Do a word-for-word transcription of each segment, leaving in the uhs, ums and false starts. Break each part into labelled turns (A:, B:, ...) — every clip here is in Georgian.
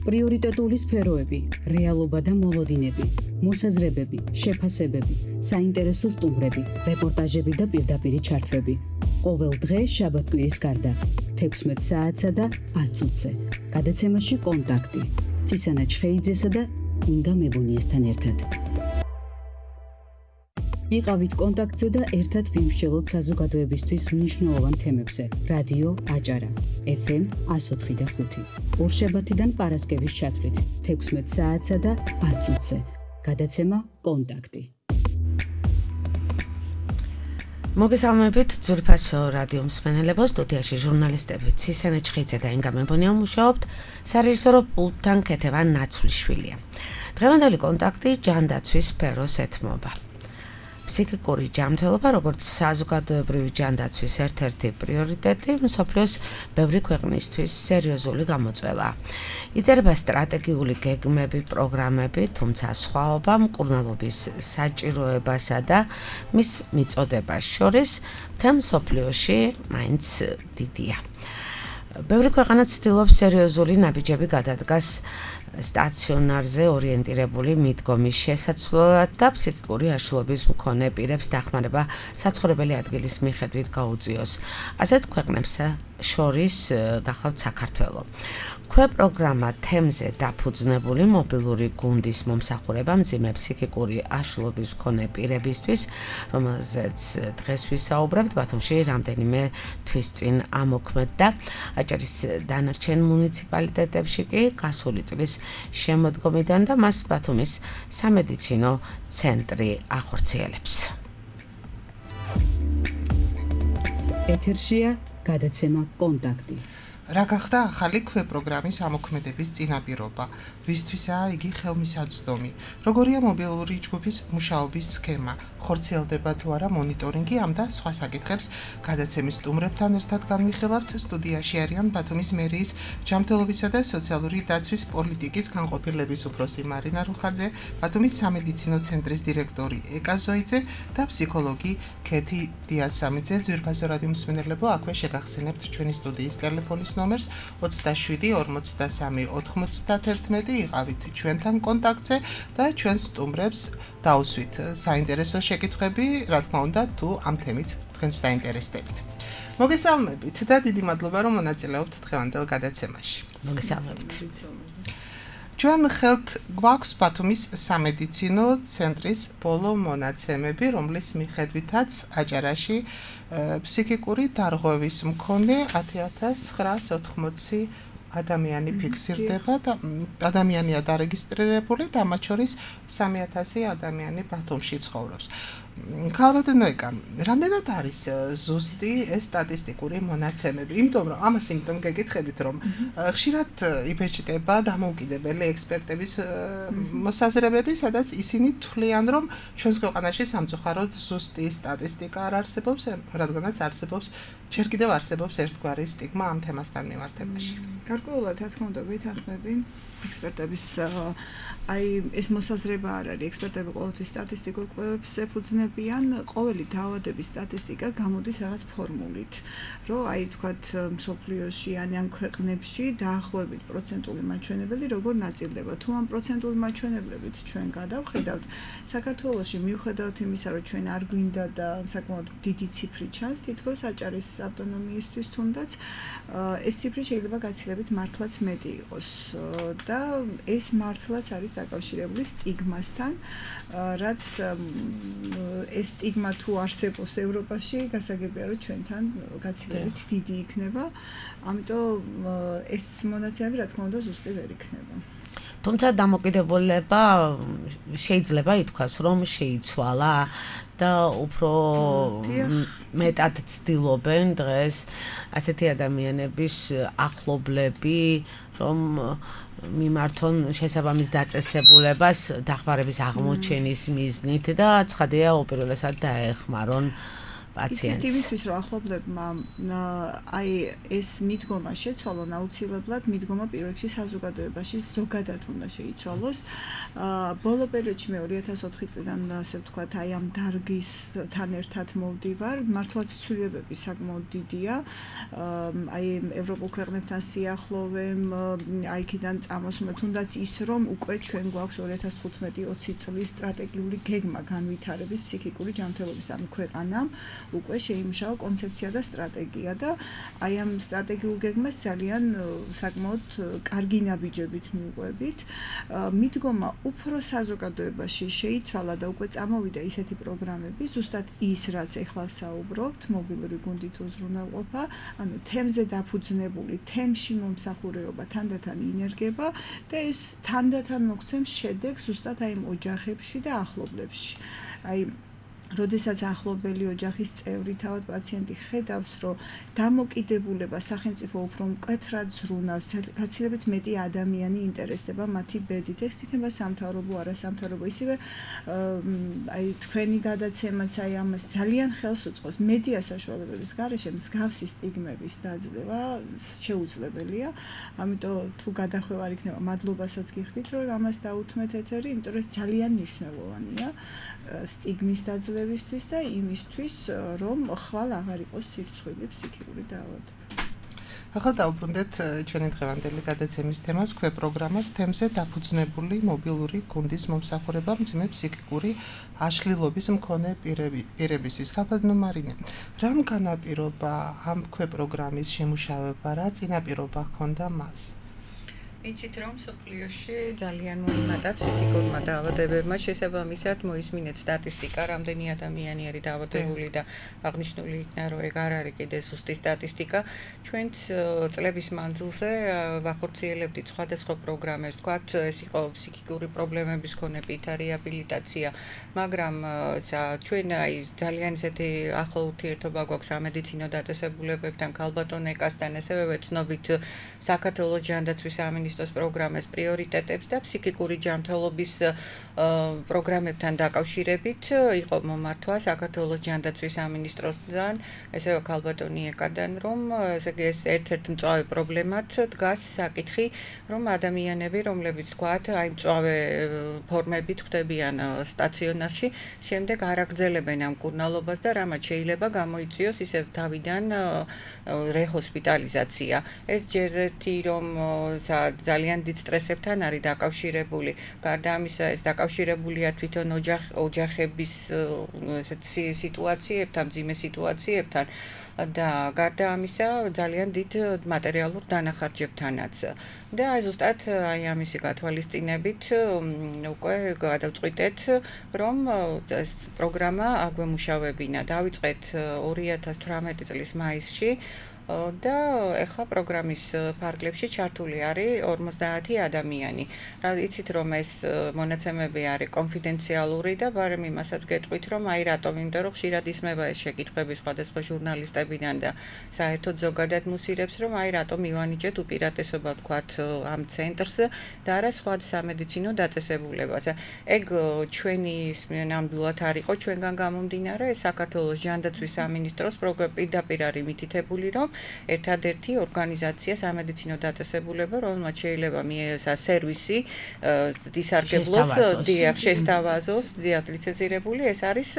A: პრიორიტეტული სფეროები, რეალობა და მოლოდინები, მოსაზრებები, შეფასებები, საინტერესო სტუმრები, რეპორტაჟები და პირდაპირი ჩართვები. ყოველ დღე შაბათ-კვირის გარდა, თექვსმეტ საათსა და ათ წუთზე. გადაცემაში კონტაქტი. ცისანა ჩხეიძესა და ინგა მებუნიესთან ერთად. იყავით კონტაქტზე და ერთად ვიმსჯელოთ საზოგადოებისთვის მნიშვნელოვან თემებზე. რადიო აჭარა, ეფ ემ ას ოთხი და ხუთი. ორშაბათიდან პარასკევის ჩათვლით, თექვსმეტ საათსა და ათ წუთზე. გადაცემა კონტაქტი.
B: მოგესალმებით ძვირფასო რადიო მსმენელებო, სტუდიაში ჟურნალისტები ცისანა ჩხეიძე და ინგა მებონია მუშაობთ, სარეჟისორო პულტთან ქეთევა ნაცვლიშვილია. დღევანდელი კონტაქტი ჯანდაცვის სფეროს ეთმობა. ფსიქიკური ჯანმრთელობა, როგორც საზოგადოებრივი ჯანდაცვის ერთ-ერთი პრიორიტეტი, მსოფლიოს ბევრი ქვეყნისთვის სერიოზული გამოწვევაა. იწერება სტრატეგიული გეგმები, პროგრამები, თუმცა სხვაობა მკურნალობის საჭიროებასა და მის მიწოდებას შორის მთელ მსოფლიოში მაინც დიდია. ბევრი ქვეყანა ცდილობს სერიოზული ნაბიჯები გადადგას სტაციონარზე ორიენტირებული მიდგომის შესაცვლელად და ფსიქიკური აშლილობის მქონე პირებს დახმარება საცხოვრებელი ადგილის მიხედვით გაუწიოს. ასეთ ქვეყნებს შორის გახლავთ საქართველო. ქვე პროგრამა თემზე დაფუძნებული მობილური გუნდის მომსახურება მძიმე ფსიქიკური აშლილობის მქონე პირებისთვის, რომელზეც დღეს ვისაუბრებთ, ბათუმში რამდენიმე თვის წინ ამოქმედდა. აჭარის დანარჩენ მუნიციპალიტეტებში კი გასული წლის შემოდგომიდან და მას ბათუმის სამედიცინო ცენტრი ახორციელებს.
A: ეთერშია გადაცემა კონტაქტი.
C: რა გახდა ახალი ქვე პროგრამის ამოქმედების წინაპირობა? ვისთვისაა იგი ხელმისაწვდომი? როგორია მობილური ჯგუფის მუშაობის სქემა? ხორციელდება თუ არა მონიტორინგი? ამ და სხვა საკითხებს გადაცემის სტუმრებთან ერთად განვიხილავთ. სტუდიაში არიან ბათუმის მერიის ჯანმრთელობისა და სოციალური დაცვის პოლიტიკის განყოფილების უფროსი მარინა რუხაძე, ბათუმის სამედიცინო ცენტრის დირექტორი ეკა ზოიძე და ფსიქოლოგი ქეთი დიასამიძე. ძვირფასო რადიო მსმენელებო, აქვე შეგახსენებთ ჩვენი სტუდიის ტელეფონის ნომერს ოცდაშვიდი ორმოცდასამი ოთხმოცდაათერთმეტი. იყავით ჩვენთან კონტაქტზე და ჩვენ სტუმრებს დაუსვით საინტერესო შეკითხვები, რა თქმა უნდა, თუ ამ თემით თქვენს დაინტერესდებით. მოგესალმებით და დიდი მადლობა, რომ მონაწილეობთ დღევანდელ გადაცემაში.
B: მოგესალმებით.
C: ჩვენ ხელთ გვაქვს ბათუმის სამედიცინო ცენტრის ბოლო მონაცემები, რომლის მიხედვითაც აჭარაში ფსიქიკური დარღვევის მქონე ათი ათას ცხრაას ოთხმოცი ადამიანი ფიქსირდება და ადამიანია დარეგისტრირებული და მათ შორის სამი ათასი ადამიანი ბათუმში ცხოვრობს. ქალბატონო ეკა, რამდენად არის ზუსტი ეს სტატისტიკური მონაცემები? იმიტომ რომ ამას იმიტომ გეკითხებით, რომ ხშირად იბეჭდება დამოუკიდებელი ექსპერტების მოსაზრებები, სადაც ისინი თვლიან, რომ ჩვენს ქვეყანაში სამწუხაროდ ზუსტი სტატისტიკა არ არსებობს, რადგანაც არსებობს ჯერ კიდევ არსებობს ერთგვარი სტიგმა ამ თემასთან მიმართებაში.
D: გარკვეულად, რა თქმა უნდა, ვეთანხმები ექსპერტების აი ეს მოსაზრება არ არის. ექსპერტები ყოველთვის სტატისტიკურ კვლევებს ეფუძნებიან. ყოველი დაავადების სტატისტიკა გამოდის რაღაც ფორმულით, რომ აი თქვათ მსოფლიოში ან ამ ქვეყნებში დაახლოებით პროცენტული მაჩვენებელი როგორ ნაწილდება. თუ ამ პროცენტული მაჩვენებლებით ჩვენ გადავხედავთ, საქართველოში მიუხედავად იმისა, რომ ჩვენ არ გვინდა და საკმაოდ დიდი ციფრი ჩანს, თითქოს აჭარის ავტონომიისთვის თუნდაც ეს ციფრი შეიძლება გაცილებით მართლაც მეტი იყოს. და ეს მართლაც არის დაკავშირებული სტიგმასთან, რაც ეს სტიგმა თუ არსებობს ევროპაში, გასაგებია რომ ჩვენთან გაცილებით დიდი იქნება, ამიტომ ეს მონაცემები რა თქმა უნდა ზუსტი ვერ იქნება.
B: თუმცა დამოკიდებულება შეიძლება ითქვას, რომ შეიცვალა და უფრო მეტად ცდილობენ დღეს ასეთი ადამიანების ახლობლები, რომ მიმართონ შესაბამის დაწესებულებას დახმარების აღმოჩენის მიზნით და ცხადია უპირველესად დაეხმარონ პაციენტს.
D: იმისთვის რომ ახლობლებმა აი ეს მიდგომა შეცვალონ, აუცილებლად მიდგომა პირველ რიგში საზოგადოებაში ზოგადად უნდა შეიცვალოს. ბოლო პერიოდში მე ორი ათას ოთხი წლიდან ასე ვთქვათ, აი ამ დარგისთან ერთად მოვდივარ. მართლაც ცვლილებები საკმაოდ დიდია. აი ევროპულ ქვეყნებთან სიახლოვემ, აი იქიდან წამოსვლით, თუნდაც ის რომ უკვე ჩვენ გვაქვს ორი ათას თხუთმეტი ოცი წლის სტრატეგიული გეგმა განვითარების ფსიქიკური ჯანმრთელობის ამ ქვეყანამ უკვე შეიმუშავა კონცეფცია და სტრატეგია და აი ამ სტრატეგიულ გეგმას ძალიან საკმაოდ კარგი ნაბიჯებით მივყვებით. მიდგომა უფრო საზოგადოებაში შეიცვალა და უკვე წამოვიდა ისეთი პროგრამები, ზუსტად ის, რაც ეხლა საუბრობთ, მობილური გუნდით უზრუნველყოფა, ანუ თემზე დაფუძნებული, თემში მომსახურეობა თანდათან ინერგება და ეს თანდათან მოგცემს შედეგს ზუსტად აი იმ ოჯახებში და ახლობლებში. აი როდესაც ახლობელი ოჯახის წევრი თავად პაციენტი ხედავს, რომ დამოკიდებულება სახელმწიფო უფრო მკვეთრად ზრუნავს, გაცილებით მეტი ადამიანი ინტერესდება მათი ბედით, ეს იქნება სამთავრობო, არასამთავრობო, ისევე აი თქვენი გადაცემაც აი ამას ძალიან ხელს უწყობს. მედია საშუალებების გარეშე მსგავსი სტიგმების დაძლევა შეუძლებელია. ამიტომ თუ გადახვევა არ იქნება, მადლობასაც გიხდით, რომ ამას დაუთმეთ ეთერი, იმიტომ რომ ეს ძალიან მნიშვნელოვანია სტიგმის დაძლევისთვის და იმისთვის, რომ ხვალ აღარ იყოს სირცხვილი ფსიქიკური დაავადება.
C: ახლა დავუბრუნდეთ ჩვენი დღევანდელი გადაცემის თემას, ქვეპროგრამას თემზე დაფუძნებული მობილური გუნდის მომსახურება მძიმე ფსიქიკური აშლილობის მქონე პირებისთვის. ქალბატონო მარინე, რამ განაპირობა ამ ქვეპროგრამის შემუშავება, რა წინაპირობა ჰქონდა მას?
E: იცით რომ სოფლიოში ძალიან მოიმატა ფსიქიკურმა დაავადებებმა, შესაბამისად მოისმინეთ სტატისტიკა, რამდენი ადამიანი არის დაავადებული და აღნიშნული იქნა, რომ ეგ არ არის კიდე ზუსტი სტატისტიკა. ჩვენც წლების მანძილზე ვახორციელებდით სხვადასხვა პროგრამებს, თქვათ, ეს იყო ფსიქიკური პრობლემების მქონე პირთა რეაბილიტაცია, მაგრამ ჩვენ აი ძალიან ისეთი ახლო ურთიერთობა გვაქვს სამედიცინო დაწესებულებებთან, ქალბატონ ეკასთან, ასევე ვეცნობით საქართველოს ჯანდაცვის სამინისტროს პროგრამის პრიორიტეტებს და ფსიქიკური ჯანმრთელობის პროგრამებთან დაკავშირებით იყო მომართვა საქართველოს ჯანდაცვის სამინისტროსთან, ესეო ქალბატონი ეკადან, რომ ეს ერთ-ერთ მწვავე პრობლემად დგას საკითხი, რომ ადამიანები, რომლებიც თქვათ, აი მწვავე ფორმებით ხდებიან სტაციონარში, შემდეგ არ აგრძელებენ ამ კურნალობას და რამაც შეიძლება გამოიწვიოს ისევ თავიდან რehosπიტალიზაცია. ეს ჯერ ერთი რომ ძალიან დიდ სტრესებთან არის დაკავშირებული. გარდა ამისა, ეს დაკავშირებულია თვითონ ოჯახების ესეთი სიტუაციებთან, მძიმე სიტუაციებთან და გარდა ამისა, ძალიან დიდ მატერიალურ დანახარჯებთანაც. და ზუსტად აი ამისი გათვალისწინებით უკვე გადავწყვიტეთ, რომ ეს პროგრამა აგვემუშავებინა. დავიწყეთ ორი ათას თვრამეტი წლის მაისში. და ეხლა პროგრამის ფარგლებში ჩართული არის ორმოცდაათი ადამიანი. რა იცით რომ ეს მონაცემები არის კონფიდენციალური და ბარემ იმასაც გეტყვით რომ აი რატომ, იმიტომ რომ ხშირად ისმება ეს შეკითხვები სხვადასხვა ჟურნალისტებიდან და საერთოდ ზოგადად მუსირებს რომ აი რატომ მივანიჭეთ უპირატესობა ვთქვათ ამ ცენტრს და არა სხვა სამედიცინო დაწესებულებას. ეგ ჩვენი ნამდვილად არ იყო ჩვენგან გამომდინარე, საქართველოს ჯანდაცვის სამინისტროს პირდაპირ არის მითითებული რომ ერთადერთი ორგანიზაცია სამედიცინო დაწესებულება, რომელმაც შეიძლება მიესა სერვისი დისარგებლოს, დიახ, შესთავაზოს, დიახ, ლიცენზირებული, ეს არის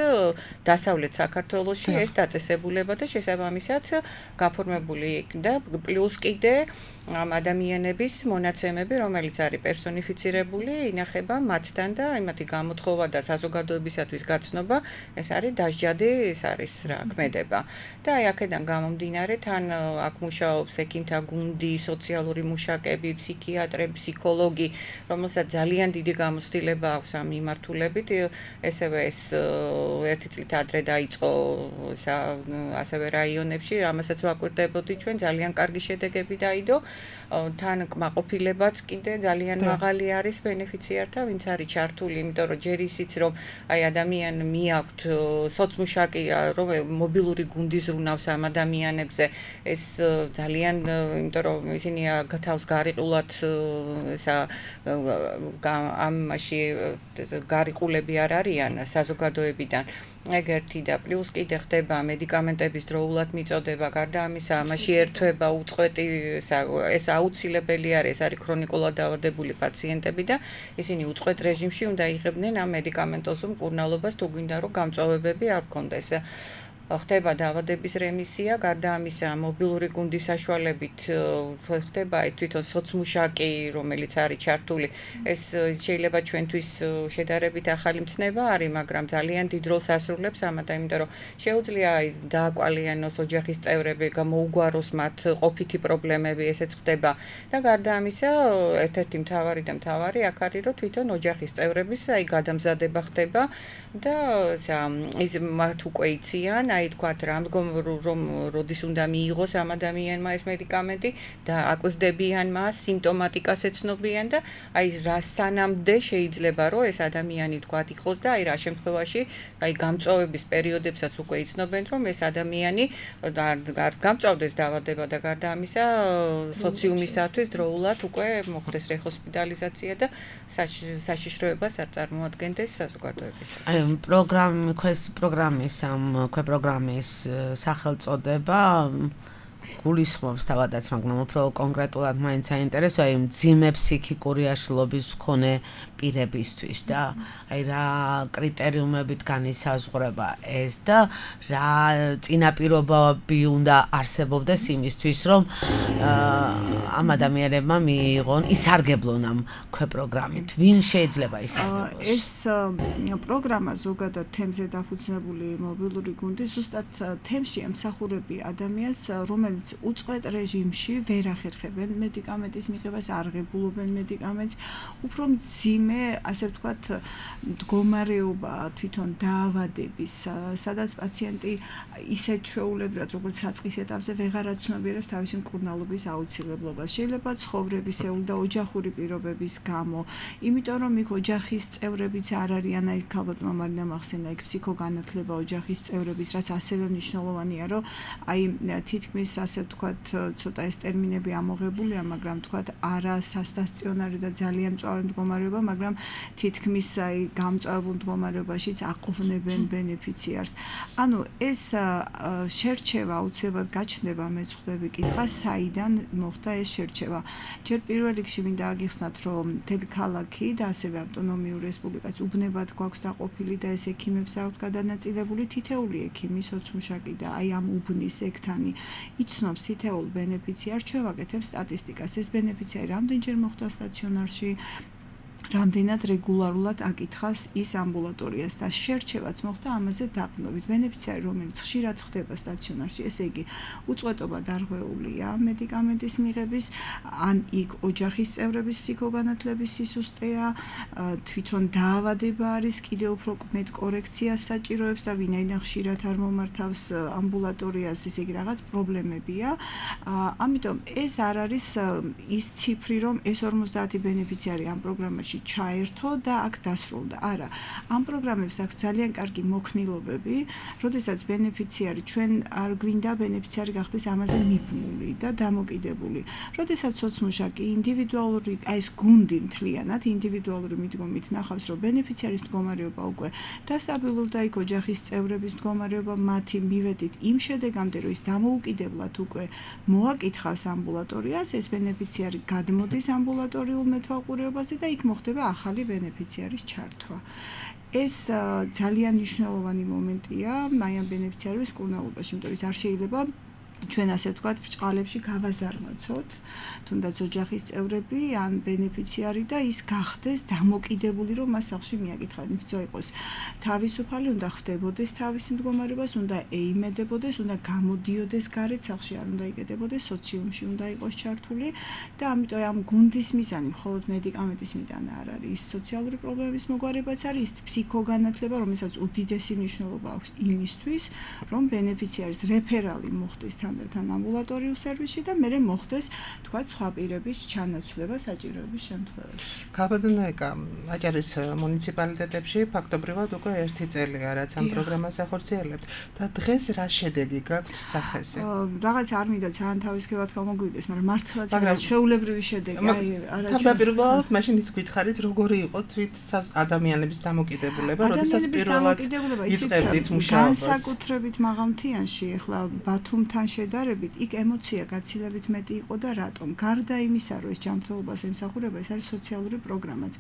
E: დასავლეთ საქართველოში ეს დაწესებულება და შესაბამისად გაფორმებული და პლუს კიდე ამ ადამიანების მონაცემები, რომელიც არის პერსონიფიცირებული, ინახება მათთან და იმათი გამოთხოვა და საზოგადოებისათვის გაცნობა, ეს არის დასჯადი, ეს არის რა ქმედება. და აი აქედან გამომდინარე, თან აქ მუშაობს ექიმთა გუნდი, სოციალური მუშაკები, ფსიქიატრები, ფსიქოლოგი, რომელსაც ძალიან დიდი გამოცდილება აქვს ამ მიმართულებით. ესევე ეს ერთი წლით ადრე დაიწყო ასევე რაიონებში, ამასაც ვაკვირდებოდი ჩვენ, ძალიან კარგი შედეგები დაიდო. თან კმაყოფილებაც კიდე ძალიან მაღალი არის ბენეფიციართა, ვინც არის ჩართული, იმიტომ რომ ჯერ ისიც რომ აი ადამიან მიაქვთ სოცმუშაკი, რომ მობილური გუნდი ზრუნავს ამ ადამიანებზე, ეს ძალიან იმიტომ რომ ისინი თავს გარიყულად ესა ამაში გარიყულები არ არიან საზოგადოებიდან ეგ ერთი და პლუს კიდე ხდება მედიკამენტების დროულად მიწოდება, გარდა ამისა, ამაში ერთვება უწყვეტი ეს აუცილებელი არის, ეს არის ქრონიკულად დაავადებული პაციენტები და ისინი უწყვეტ რეჟიმში უნდა იღებდნენ ამ მედიკამენტოზულ მკურნალობას, თუ გვინდა რომ გამწვავებები არ გქონდეს. ხდება დაავადების რემისია, გარდა ამისა, მობილური გუნდის საშუალებით ხდება ეს თვითონ სოცმუშაკი, რომელიც არის ჩართული. ეს შეიძლება ჩვენთვის შედარებით ახალი მცნება არის, მაგრამ ძალიან დიდ როლს ასრულებს ამათ, იმიტომ რომ შეუძლია დააკვალიანოს ოჯახის წევრები, გამოუგვაროს მათ ყოფითი პრობლემები, ესეც ხდება. და გარდა ამისა, ერთ-ერთი მთავარი და მთავარი აქ არის, რომ თვითონ ოჯახის წევრების აი გადამზადება ხდება და ის მათ უკვე იციან აი თქვათ რამდგომ რომ როდის უნდა მიიღოს ამ ადამიანმა ეს მედიკამენტი და აკვირდებიან მას, სიმპტომატიკას ეცნობიან და აი რა სანამდე შეიძლება რომ ეს ადამიანი თქვათ იყოს და აი რა შემთხვევაში აი გამწვავების პერიოდებსაც უკვე იცნობენ რომ ეს ადამიანი არ გამწვავდეს დაავადება და გარდა ამისა სოციუმისათვის დროულად უკვე მოხდეს რეხოსპიტალიზაცია და საშიშროებას არ წარმოადგენდეს საზოგადოებისათვის.
B: აი პროგრამი ქვეს პროგრამის ამ ქვე პროგრამის სახელწოდება გულისხმობს თავადაც, მაგრამ უფრო კონკრეტულად მაინც საინტერესოა იმ მძიმე ფსიქიკური აშლილობის მქონე პირებისთვის და აი რა კრიტერიუმებით განისაზღვრება ეს და რა წინაპირობები უნდა არსებობდეს იმისთვის, რომ ამ ადამიანებმა მიიღონ, ისარგებლონ ამ ქვე პროგრამით. ვინ შეიძლება ისარგებლოს?
D: ეს პროგრამა ზოგადად თემზე დაფუძნებული მობილური გუნდი ზუსტად თემში ემსახურები ადამიანს, რომელიც უწყვეტ რეჟიმში ვერ ახერხებენ მედიკამენტის მიღებას, არ ღებულობენ მედიკამენტს, უფრო მძიმე, ასე ვთქვათ, მდგომარეობა თვითონ დაავადების, სადაც პაციენტი ისეთ ჩვეულებრივად, როგორც საწყის ეტაპზე ვეღარ აცნობიერებს თავისი მკურნალობის აუცილებლობას. შეიძლება ცხოვრებისეული და ოჯახური პირობების გამო, იმიტომ რომ იქ ოჯახის წევრებიც არ არიან, აი ალბათ მამარინამ ახსენა იქ ფსიქოგანათლება ოჯახის წევრების, რაც ასევე მნიშვნელოვანია, რომ აი თითქმის ასე ვთქვათ, ცოტა ეს ტერმინები ამოღებულია, მაგრამ ვთქვათ, არა სასტაციონარი და ძალიან მწვავე მდგომარეობა, მაგრამ თითქმის აი გამწვავებულ მდგომარეობაშიც აყოვნებენ ბენეფიციარს. ანუ ეს შერჩევა აუცილებლად გაჩნდება, მე ვხვდები კითხვა, საიდან მოხდა ეს შერჩევა. ჯერ პირველ რიგში მინდა აგიხსნათ, რომ მთელი ქალაქი და ასევე ავტონომიური რესპუბლიკაც უბნებად გვაქვს დაყოფილი და ეს ექიმებს აქვთ გადანაწილებული თითეული ექიმი, სოცმუშაკი და აი ამ უბნის ექთანი იცნობს თითოეულ ბენეფიციარს, ჩვენ ვაკეთებთ სტატისტიკას. ეს ბენეფიციარი რამდენჯერ მოხდა სტაციონარში, რამდენად რეგულარულად აკითხავს ის ამბულატორიას და შერჩევაც მოხდა ამაზე დაყრდნობით. ბენეფიციარი, რომელიც ხშირად ხდება სტაციონარში, ესე იგი უწყვეტობა დარღვეულია მედიკამენტის მიღების, ან იქ ოჯახის წევრების ფსიქოგანათლების სისუსტეა, თვითონ დაავადება არის, კიდევ უფრო მეტ კორექციას საჭიროებს და ვინაიდან ხშირად არ მომართავს ამბულატორიას, ესე იგი რაღაც პრობლემებია. ამიტომ ეს არ არის ის ციფრი, რომ ეს ორმოცდაათი ბენეფიციარი ამ პროგრამაში ჩაერთო და აქ დასრულდა. არა, ამ პროგრამებს აქვს ძალიან კარგი მოქნილობები, როდესაც ბენეფიციარი ჩვენ არ გვინდა ბენეფიციარი გახდეს ამაზე მიბმული და დამოკიდებული. როდესაც სოცმუშაკი ინდივიდუალური, აი ეს გუნდი მთლიანად ინდივიდუალური მიდგომით ნახავს, რომ ბენეფიციარის მდგომარეობა უკვე დასტაბილურდა, იქ ოჯახის წევრების მდგომარეობა მათი მივედით იმ შედეგამდე, რომ ის დამოუკიდებლად უკვე მოაკითხავს ამბულატორიას, ეს ბენეფიციარი გადმოდის ამბულატორიულ მეთვალყურეობაზე და იქ მოხდება ახალი ბენეფიციარის ჩართვა. ეს ძალიან მნიშვნელოვანი მომენტია აი ამ ბენეფიციარების მკურნალობაში, იმიტომ რომ არ შეიძლება ჩვენ ასე ვთქვათ, ბრჭყალებში გავაზარმაცოთ, თუნდაც ოჯახის წევრები ან ბენეფიციარი და ის გახდეს დამოკიდებული, რომ მას სახლში მიაკითხავენ. ისე იყოს თავისუფალი, უნდა ხვდებოდეს თავის მდგომარეობას, უნდა ეიმედებოდეს, უნდა გამოდიოდეს გარეთ სახლში, არ უნდა იკეტებოდეს სოციუმში, უნდა იყოს ჩართული და ამიტომ ამ გუნდის მიზანი მხოლოდ მედიკამენტის მიტანა არ არის, ის სოციალური პრობლემების მოგვარებაც არის, ის ფსიქოგანათლება, რომელსაც უდიდესი მნიშვნელობა აქვს იმისთვის, რომ ბენეფიციარის რეფერალი მოხდეს თან თანდათან ამბულატორიულ სერვისში და მერე მოხდეს თქვა სხვა პირების ჩანაცვლება საჭიროების შემთხვევაში.
C: ქალბატონიკა აჭარის მუნიციპალიტეტებში ფაქტობრივად უკვე ერთი წელია რაც ამ პროგრამას ახორციელებთ და დღეს რა შედეგი გაქვთ სახეზე?
D: რაღაც არ მინდა ძალიან თავისუფლად გამოგვიდეს, მაგრამ მართლაც შეულებრივი შედეგი. აი, არა.
C: თავდაპირველად მაშინ ის გითხარით, როგორი იყო თვით ადამიანების დამოკიდებულება, როდესაც პირველად იწყებდით მუშაობას.
D: განსაკუთრებით მაღალმთიანში, ახლა ბათუმთან შედარებით, იქ ემოცია გაცილებით მეტი იყო და რატომ? გარდა იმისა, რომ ეს ჯანმრთელობას ემსახურება, ეს არის სოციალური პროგრამაც.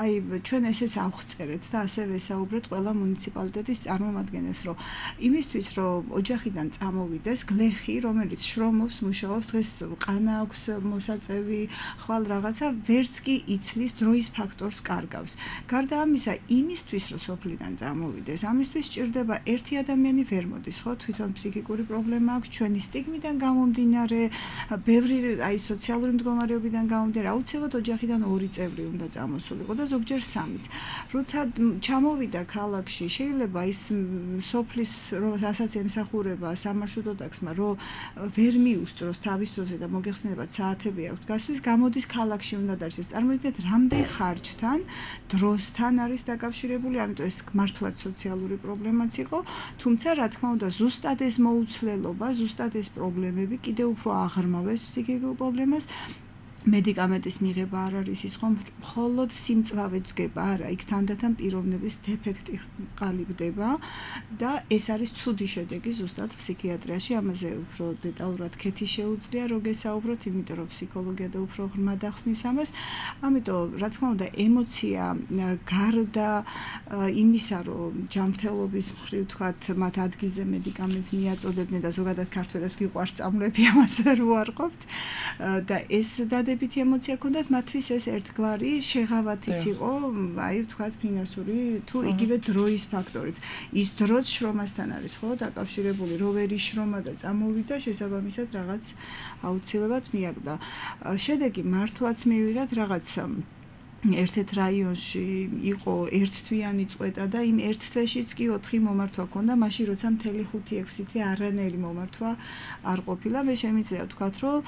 D: აი, ჩვენ ესეც ავხწერეთ და ასევე საუბრეთ ყველა მუნიციპალიტეტის წარმომადგენელს, რომ იმისთვის, რომ ოჯახიდან წამოვიდეს გლეხი, რომელიც შრომობს, მუშაობს, დღეს ყანა აქვს მოსაწევი, ხვალ რაღაცა, ვერც კი იცლის დროის ფაქტორს კარგავს. გარდა ამისა, იმისთვის, რომ სოფლიდან წამოვიდეს, ამისთვის სჭირდება ერთი ადამიანი ვერ მოდის, ხო, თვითონ ფსიქიკური პრობლემა აქვს, ჩვენი სტიგმიდან გამომდინარე, ბევრი აი სოციალური მდგომარეობიდან გამომდინარე, აუცილებლად ოჯახიდან ორი წევრი უნდა წამოსულიყო და ზოგჯერ სამიც. როცა ჩამოვიდა ქალაქში, შეიძლება ის სოფლის რასაც ემსახურება სამარშრუტო ტაქსმა, რომ ვერ მიუსწროს თავის დროზე და მოგეხსენებათ საათები აქვს გასვლის, გამოდის ქალაქში უნდა დაარჩეს. წარმოიდგინეთ, რამდენ ხარჯთან, დროსთან არის დაკავშირებული, ამიტომ ეს მართლაც სოციალური პრობლემაც იყო, თუმცა რა თქმა უნდა, ზუსტად ეს მოუცლელობა, ზუსტად ეს პრობლემები კიდევ უფრო აღრმავებს ფსიქიკურ პრობლემას. მედიკამენტის მიღება არ არის ის ხომ მხოლოდ სიმწვავე დგება, არა, იქ თანდათან პიროვნების დეფექტი ყალიბდება და ეს არის ცუდი შედეგი ზუსტად ფსიქიატრიაში, ამაზე უფრო დეტალურად კეთი შეუძლია რო გესაუბროთ, იმიტომ რომ ფსიქოლოგია და უფრო ღრმად ახსნის ამას. ამიტომ რა თქმა უნდა, ემოცია გარდა იმისა, რომ ჯანმრთელობის მხრივ თქვათ, მათ ადგილზე მედიკამენტს მიაწოდებდნენ და ზოგადად ქართველებს გიყვარს წამლები, ამას ვერ უარყოფთ და ეს და დადებითი ემოცია ქონდათ, მათთვის ეს ერთგვარი შეღავათიც იყო, აი ვთქვათ ფინანსური თუ იგივე დროის ფაქტორით. ის დროც შრომასთან არის, ხო, დაკავშირებული, რო ვერ იშრომა და წამოვიდა, შესაბამისად რაღაც აუცილებლად მიაგდა. შედეგი მართლაც მივიღეთ რაღაც ერთ-ერთ რაიონში იყო ერთთვიანი წვეტა და იმ ერთ თვეშიც კი ოთხი მომართვა ჰქონდა, მაშინ როცა მთელი ხუთი ექვსი თვე არანაირი მომართვა არ ყოფილა. მე შემიძლია ვთქვათ, რომ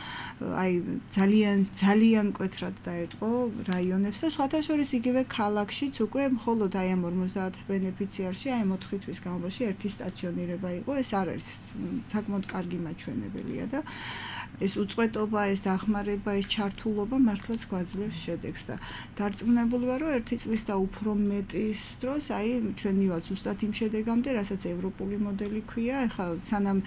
D: აი ძალიან ძალიან მკვეთრად დაეტყო რაიონებს და სხვათა შორის იგივე ქალაქშიც უკვე მხოლოდ აი ამ ორმოცდაათ ბენეფიციარში, აი ამ ოთხი თვის განმავლობაში ერთი სტაციონირება იყო. ეს არ არის საკმაოდ კარგი მაჩვენებელია და ეს უწყვეტობა, ეს დახმარება, ეს ჩართულობა მართლაც გვაძლევს შედეგს და დარწმუნებული ვარ, რომ ერთი წლის და უფრო მეტის დროს, აი ჩვენ მივაც ზუსტად იმ შედეგამდე, რასაც ევროპული მოდელი ქვია, ეხლა სანამ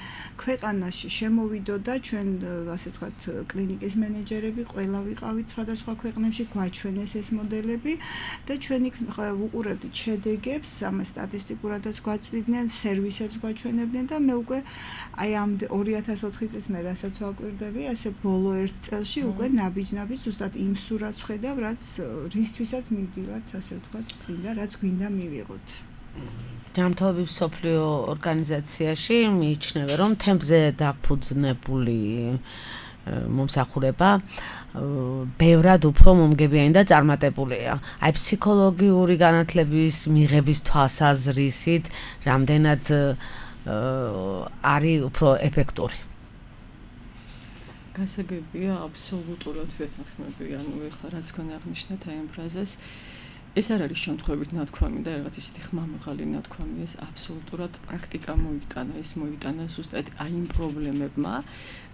D: ქვეყანაში შემოვიდოდა, ჩვენ ასე ვთქვათ, კლინიკის მენეჯერები ყველა ვიყავით სხვადასხვა ქვეყნებში, გვაჩვენეს ეს მოდელები და ჩვენ იქ ვუყურებდით შედეგებს, ამას სტატისტიკურადაც გვაწვდიდნენ, სერვისებს გვაჩვენებდნენ და მე უკვე აი ამ ორი ათას ოთხი წელს მე რასაც ვაკვირდები, ასე ბოლო ერთ წელში უკვე ნაბიჯ-ნაბიჯ ზუსტად იმ სურათს ხედავ, რაც რისთვისაც მივდივართ, ასე ვთქვათ, წინდა, რაც გვინდა მივიღოთ.
B: ჯანმრთელობის მსოფლიო ორგანიზაციაში მიიჩნევა, რომ თემზე დაფუძნებული მომსახურება ბევრად უფრო მომგებიანი და წარმატებულია. აი ფსიქოლოგიური განათლების მიღების თვალსაზრისით, რამდენად არის უფრო ეფექტური.
F: გასაგებია, აბსოლუტურად ვეთანხმები, ანუ ეხლა რაც თქვენ აღნიშნეთ აი ამ ფრაზას, ეს არ არის შემთხვევით ნათქვამი და რაღაც ისეთი ხმამაღალი ნათქვამი, ეს აბსოლუტურად პრაქტიკა მოიტანა, ეს მოიტანა ზუსტად აი იმ პრობლემებმა,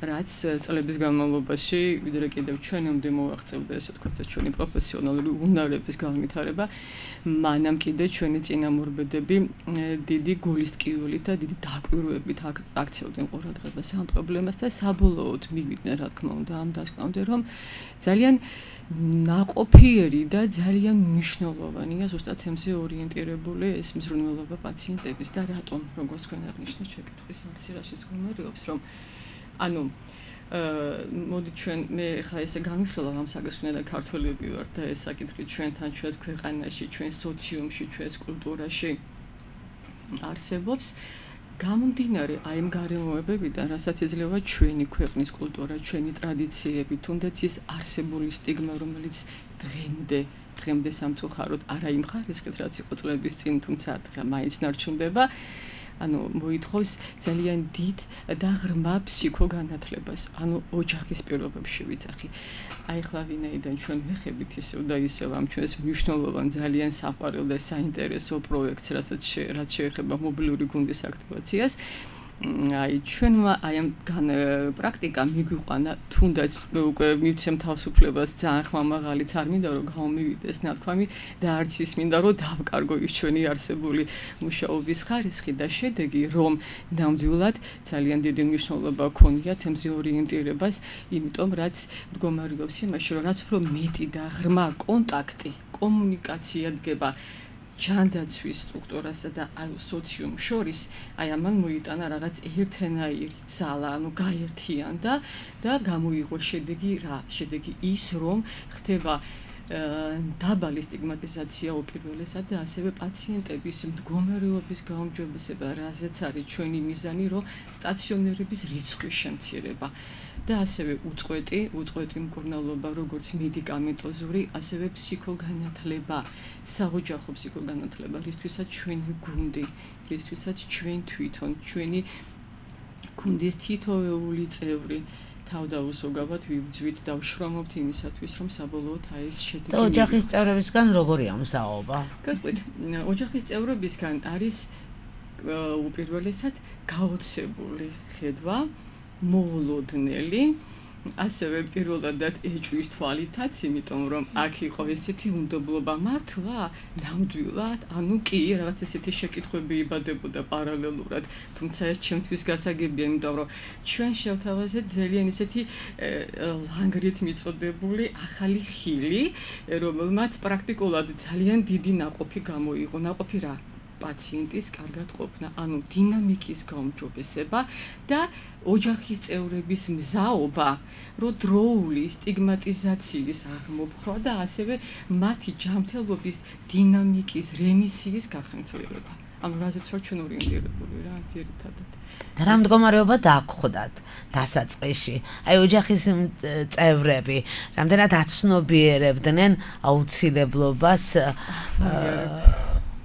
F: რაც წლების განმავლობაში ვიდრე კიდევ ჩვენამდე მოაღწევდა, ესე ვთქვათ, ჩვენი პროფესიონალური უნარების განვითარება, მანამ კიდე ჩვენი წინამორბედები დიდი გულისტკიულით და დიდი დაკვირვებით აქცევდნენ ყურადღებას ამ პრობლემას და საბოლოოდ მივიდნენ, რა თქმა უნდა, ამ დასკვნამდე, რომ ძალიან ნაყოფიერი და ძალიან მნიშვნელოვანია ზუსტად თემზე ორიენტირებული ეს მზრუნველობა პაციენტების და რატომ, როგორც თქვენ აღნიშნეთ, შეკითხვის არცი რაშიც გუმერიობს, რომ ანუ მოდი ჩვენ მე ხა ესე გამიხილავ ამ საგესქვნე და ქართველები ვარ და ეს საკითხი ჩვენთან, ჩვენს ქვეყანაში, ჩვენს სოციუმში, ჩვენს კულტურაში არსებობს. გამომდინარე აი ამ გარემოებებიდან, რასაც იძლევა ჩვენი ქვეყნის კულტურა, ჩვენი ტრადიციები, თუნდაც ის არსებული სტიგმა, რომელიც დღემდე, დღემდე სამწუხაროდ არა იმ ხარისხით, რაც იყო წლების წინ, თუმცა დღე მაინც ნარჩუნდება. ანუ მოითხოვს ძალიან დიდ და ღრმა ფსიქოგანათლებას, ანუ ოჯახის პირობებში ვიცახი. აი ხლა ვინაიდან ჩვენ ვეხებით ისევ და ისევ ამ ჩვენს მნიშვნელოვან ძალიან საყვარელ და საინტერესო პროექტს, რასაც რაც შეეხება მობილური გუნდის აქტივაციას, აი ჩვენმა აი ამ პრაქტიკა მიგვიყვანა, თუნდაც უკვე მივცემ თავისუფლებას ძალიან ხმამაღალიც არ მინდა რომ გამომივიდეს ნათქვამი და არც ის მინდა რომ დავკარგო ის ჩვენი არსებული მუშაობის ხარისხი და შედეგი, რომ ნამდვილად ძალიან დიდი მნიშვნელობა ჰქონია თემზე ორიენტირებას, იმიტომ რაც მდგომარეობს იმაში, რომ რაც უფრო მეტი და ღრმა კონტაქტი, კომუნიკაცია დგება ჯანდაცვის სტრუქტურასა და სოციუმ შორის, აი ამან მოიტანა რაღაც ერთენაირი ძალა, ანუ გაერთიანდა და გამოიღო შედეგი რა? შედეგი ის, რომ ხდება დაბალი სტიგმატიზაცია უპირველესად და ასევე პაციენტების მდგომარეობის გაუმჯობესება, რაზეც არის ჩვენი მიზანი, რომ სტაციონერების რიცხვის შემცირება. და ასევე უწყვეტი, უწყვეტი მკურნალობა, როგორც მედიკამენტოზური, ასევე ფსიქოგანათლება, საოჯახო ფსიქოგანათლება, რისთვისაც ჩვენი გუნდი, რისთვისაც ჩვენ თვითონ, ჩვენი გუნდის თითოეული წევრი თავდაუსოგავად ვიბძვით და ვშრომობთ იმისათვის, რომ საბოლოოდ აი ეს შედეგი.
B: და ოჯახის წევრებისგან როგორია მოსაუბრა?
F: გეტყვით, ოჯახის წევრებისგან არის უპირველესად გაოცებული ხედვა, მოულოდნელი, ასევე პირველად ეჭვის თვალითაც, იმიტომ რომ აქ იყო ესეთი უნდობლობა მართლა, ნამდვილად, ანუ კი, რაღაც ესეთი შეკითხვები იბადებოდა პარალელურად, თუმცა ეს ჩემთვის გასაგებია, იმიტომ რომ ჩვენ შევთავაზეთ ძალიან ესეთი ლანგრით მიწოდებული ახალი ხილი, რომელმაც პრაქტიკულად ძალიან დიდი ნაყოფი გამოიღო, ნაყოფი რა? პაციენტის კარგად ყოფნა, ანუ დინამიკის გაუმჯობესება და ოჯახის წევრების მზაობა, რომ დროული სტიგმატიზაციის აღმოფხვრა და ასევე მათი ჯანმრთელობის დინამიკის რემისიის გახანგრძლივება. ანუ რაზეც ვარ ჩვენ ორიენტირებული რა, ძირითადად.
B: და რა მდგომარეობა დააგხვდათ დასაწყისში? აი ოჯახის წევრები რამდენად აცნობიერებდნენ აუცილებლობას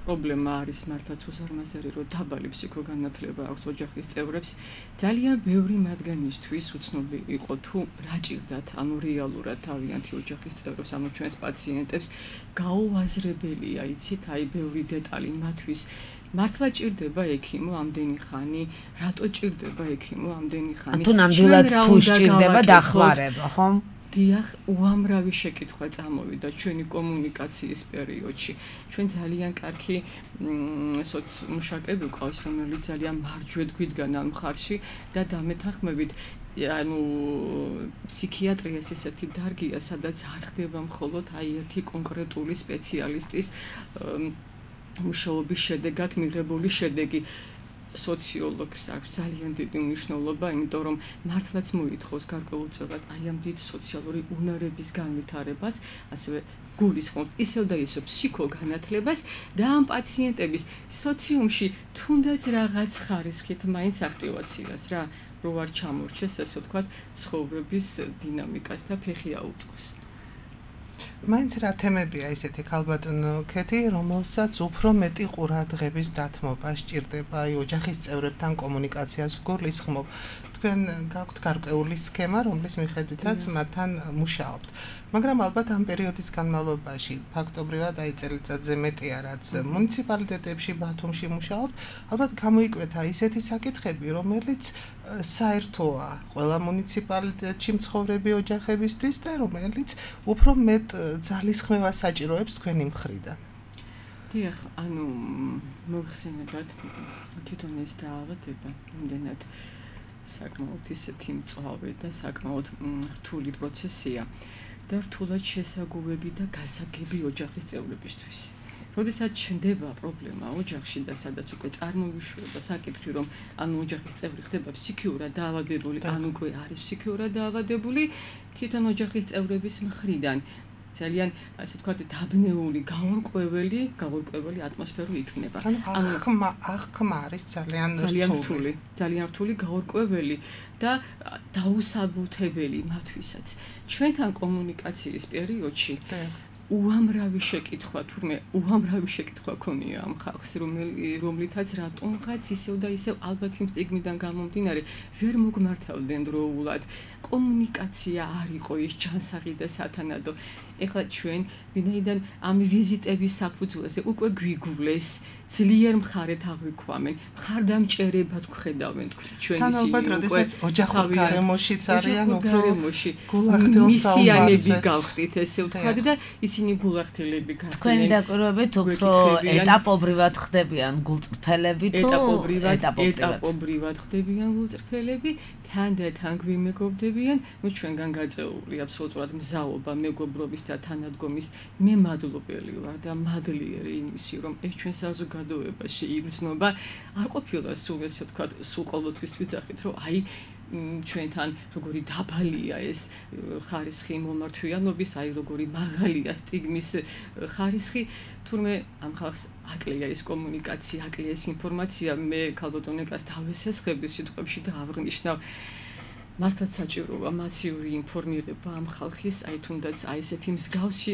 F: პრობლემა არის მართლაც უსარმაზარი, რომ დაბალი ფსიქოგანათლება აქვს ოჯახის წევრებს. ძალიან ბევრი მათგანისთვის უცნობი იყო თუ რა ჭირდათ, ანუ რეალურად თავიანთი ოჯახის წევრებს, ანუ ჩვენს პაციენტებს გაუაზრებელია, იცით, აი ბევრი დეტალი მათთვის. მართლა ჭირდება ექიმო ამდენი ხანი, რატო ჭირდება ექიმო ამდენი ხანი?
B: თუ ნამდვილად თუ ჭირდება დახმარება, ხომ?
F: დიახ, უამრავი შეკითხვა წამოვიდა ჩვენი კომუნიკაციის პერიოდში. ჩვენ ძალიან კარგი სოციმუშაკები გვყავს, რომელიც ძალიან მარჯვედ გვიდგან ამ მხარში და დამეთანხმებით, ანუ ფსიქიატრია ეს ესეთი დარგია, სადაც არ ხდება მხოლოდ აი ერთი კონკრეტული სპეციალისტის მუშაობის შედეგად მიღებული შედეგი. სოციოლოგს აქვს ძალიან დიდი მნიშვნელობა, იმიტომ რომ მართლაც მოითხოვს გარკვეულწილად აი ამ დიდ სოციალური უნარების განვითარებას, ასევე გულისხმობთ ისევ და ისევ ფსიქოგანათლებას და ამ პაციენტების სოციუმში თუნდაც რაღაც ხარისხით მაინც აქტივაციას რა, რო არ ჩამორჩეს, ასე ვთქვათ, ცხოვრების დინამიკას და ფეხი აუწყოს.
C: მაინც რა თემებია ისეთი ქალბატონო ქეთი, რომელსაც უფრო მეტი ყურადღების დათმობა სჭირდება აი ოჯახის წევრებთან კომუნიკაციას გულისხმობ. თქვენ გაქვთ გარკვეული სქემა, რომლის მიხედვითაც მათთან მუშაობთ. მაგრამ ალბათ ამ პერიოდის განმავლობაში ფაქტობრივად აი წელიწადზე მეტია, რაც მუნიციპალიტეტებში ბათუმში მუშაობთ, ალბათ გამოიკვეთა ისეთი საკითხები, რომელიც საერთოა ყველა მუნიციპალიტეტში მცხოვრები ოჯახებისთვის და რომელიც უფრო მეტ ძალისხმევას საჭიროებს თქვენი მხრიდან.
F: დიახ, ანუ მოიხსენებათ თვითონ ეს დაავადება იმდენად საკმაოდ ისეთი მწვავე და საკმაოდ რთული პროცესია და რთულად შესაგუები და გასაგები ოჯახის წევრებისთვის. როდესაც ჩნდება პრობლემა ოჯახში და სადაც უკვე წარმოიშვება საკითხი, რომ ანუ ოჯახის წევრი ხდება ფსიქიურად დაავადებული, ან უკვე არის ფსიქიურად დაავადებული, თვითონ ოჯახის წევრების მხრიდან ძალიან ასე ვთქვათ დაბნეული, გაურკვეველი, გაურკვეველი ატმოსფერო იქნება.
C: ანუ ახმა, ახმა არის ძალიან
F: ძალიან რთული, ძალიან რთული, გაურკვეველი და დაუსაბუთებელი მათთვისაც. ჩვენთან კომუნიკაციის პერიოდში უამრავი შეკითხვა, თურმე უამრავი შეკითხვა ქონია ამ ხალხს, რომლითაც რატომღაც ისევ და ისევ ალბათ იმ სტიგმიდან გამომდინარე ვერ მოგმართავდნენ დროულად. კომუნიკაცია არ იყო ის ჯანსაღი და სათანადო. ეხლა ჩვენ ვინაიდან ამ ვიზიტების საფუძველზე უკვე გვიგულეს ძლიერ მხარეთ აღვიქვამენ, მხარდამჭერებად გვხედავენ ჩვენ
C: თან ალბათ როდესაც ოჯახურ გარემოშიც არიან უფრო
F: მისიანები გავხდით ესე ვთქვათ და ისინი გულახდილები გახდნენ.
B: თქვენი დაკვირვებით უფრო ეტაპობრივად ხდებიან გულწრფელები თუ
F: ეტაპობრივად ეტაპობრივად ხდებიან გულწრფელები თან და თან გვიმეგობრდებიან, ნუ ჩვენგან გაწეული აბსოლუტურად მზაობა მეგობრობის და თანადგომის მე მადლობელი ვარ და მადლიერი იმისი რომ ეს ჩვენ საზოგადოებაში იგრძნობა არ ყოფილა სულ ესე ვთქვათ სულ ყოველთვის ვიძახით რომ აი ჩვენთან როგორი დაბალია ეს ხარისხი მომართვიანობის, აი როგორი მაღალია სტიგმის ხარისხი, თურმე ამ ხალხს აკლია ეს კომუნიკაცია, აკლია ეს ინფორმაცია, მე ქალბატონეკას დავესესხები სიტყვებში და აღნიშნავ მართლაც საჭიროა მასიური ინფორმირება ამ ხალხის, აი თუნდაც აი ესეთი მსგავსი